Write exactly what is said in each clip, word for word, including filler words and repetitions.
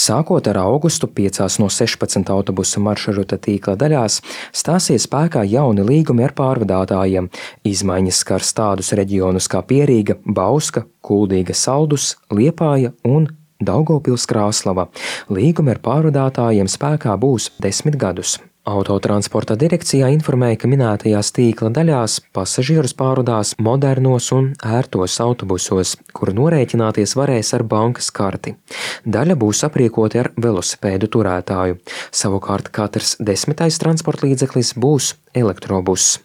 Sākot ar augustu, piecās no sešpadsmit autobusu maršruta tīkla daļās stāsies spēkā jauni līgumi ar pārvadātājiem. Izmaiņas skars tādus reģionus kā Pierīga, Bauska, Kuldīga, Saldus, Liepāja un Daugavpils Krāslava. Līgumi ar pārvadātājiem spēkā būs desmit gadus. Autotransporta direkcijā informēja, ka minētajās tīkla daļās pasažierus pārvadās modernos un ērtos autobusos, kuru norēķināties varēs ar bankas karti. Daļa būs aprīkoti ar velosipēdu turētāju. Savukārt katrs desmitais transporta līdzeklis būs elektrobuss.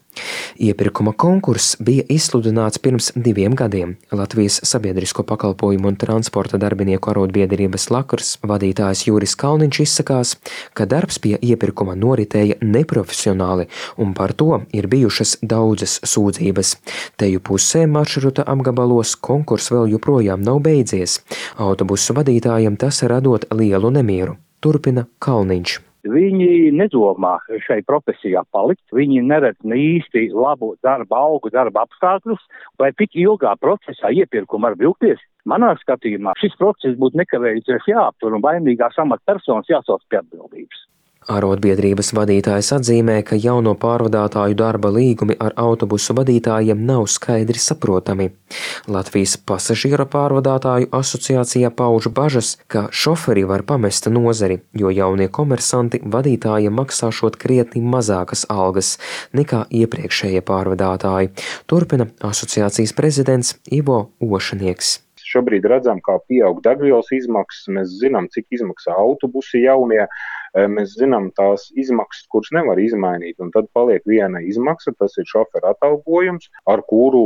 Iepirkuma konkurss bija izsludināts pirms diviem gadiem. Latvijas sabiedrisko pakalpojumu un transporta darbinieku arotbiedrības Lakurs vadītājs Juris Kalniņš izsakās, ka darbs pie iepirkuma noritēja neprofesionāli un par to ir bijušas daudzas sūdzības. Teju pusē maršruta apgabalos konkurss vēl joprojām nav beidzies. Autobusu vadītājiem tas radot lielu nemieru. Turpina Kalniņš. Viņi nedomā šai profesijā palikt, viņi neredz ne īsti labu darba algu, darba apstākļus, vai tik ilgā procesā iepirkuma var vilkties. Manā skatījumā šis process būtu nekavējoties jāaptur un vainīgās amatpersonas jāsauc pie atbildības. Arotbiedrības vadītājs atzīmē, ka jauno pārvadātāju darba līgumi ar autobusu vadītājiem nav skaidri saprotami. Latvijas pasažieru pārvadātāju asociācijā pauž bažas, ka šoferi var pamest nozari, jo jaunie komersanti vadītājiem maksāšot krietni mazākas algas nekā iepriekšējie pārvadātāji. Turpina asociācijas prezidents Ivo Ošanieks. Šobrīd redzam, kā pieaug degvielas izmaksas, mēs zinām, cik izmaksā autobusi jaunie, mēs zinām tās izmaksas, kuras nevar izmainīt, un tad paliek viena izmaksa, tas ir šofera atalgojums, ar kuru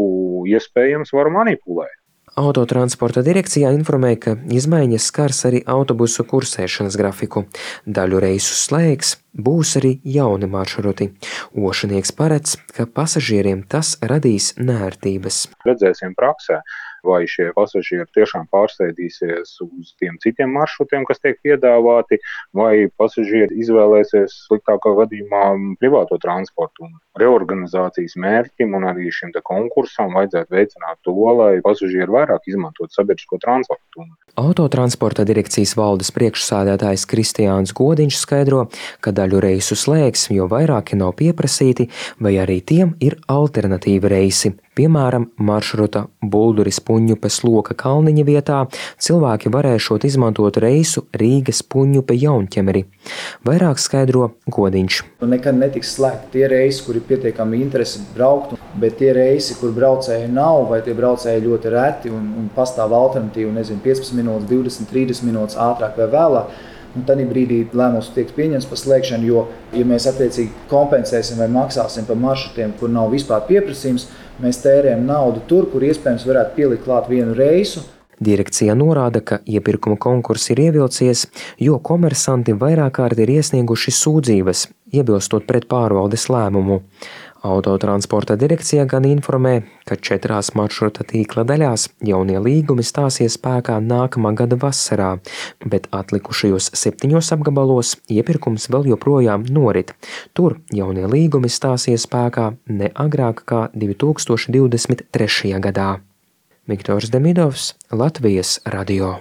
iespējams var manipulēt. Autotransporta direkcijā informēja, ka izmaiņas skars arī autobusu kursēšanas grafiku. Daļu reisu slēgs, būs arī jauni maršruti. Ošanieks paredz, ka pasažieriem tas radīs neērtības. Redzēsim praksē, vai šie pasažieri tiešām pārsēdīsies uz tiem citiem maršrutiem, kas tiek piedāvāti, vai pasažieri izvēlēsies sliktākā gadījumā privāto transportu. Un reorganizācijas mērķim un arī šim te konkursam vajadzētu veicināt to, lai pasažieri vairāk izmantot sabiedrisko transportu. Autotransporta direkcijas valdes priekšsēdētājs Kristiāns Godiņš skaidro, ka daļu reisu slēgs, jo vairāki nav pieprasīti, vai arī tiem ir alternatīvi reisi. Piemēram, maršruta Bulduris Puņupes Loka Kalniņa vietā cilvēki varēšot izmantot reisu Rīgas Puņupe Jaunķemeri. Vairāk skaidro Godiņš. Nekad netiks slēgti tie reisi, kuri pietiekami interesi braukt, bet tie reisi, kur braucēji nav, vai tie braucēji ļoti reti un, un pastāv alternatīva, nezinu, piecpadsmit minūtes, divdesmit, trīsdesmit minūtes ātrāk vai vēlāk. Un tad brīdī lēmums tiek pieņemts par slēgšanu, jo, ja mēs attiecīgi kompensēsim vai maksāsim par maršrutiem, kur nav vispār pieprasījums, mēs tērējam naudu tur, kur iespējams varētu pielikt klāt vienu reisu. Direkcija norāda, ka iepirkuma konkurss ir ievilcies, jo komersanti vairāk kārt ir iesnieguši sūdzības, iebilstot pret pārvaldes lēmumu. Autotransporta direkcija gan informē, ka četrās maršruta tīkla daļās jaunie līgumi stāsies spēkā nākamā gada vasarā, bet atlikušajos septiņos apgabalos iepirkums vēl joprojām norit. Tur jaunie līgumi stāsies spēkā ne agrāk kā divi tūkstoši divdesmit trešajā gadā. Viktors Demidovs, Latvijas radio.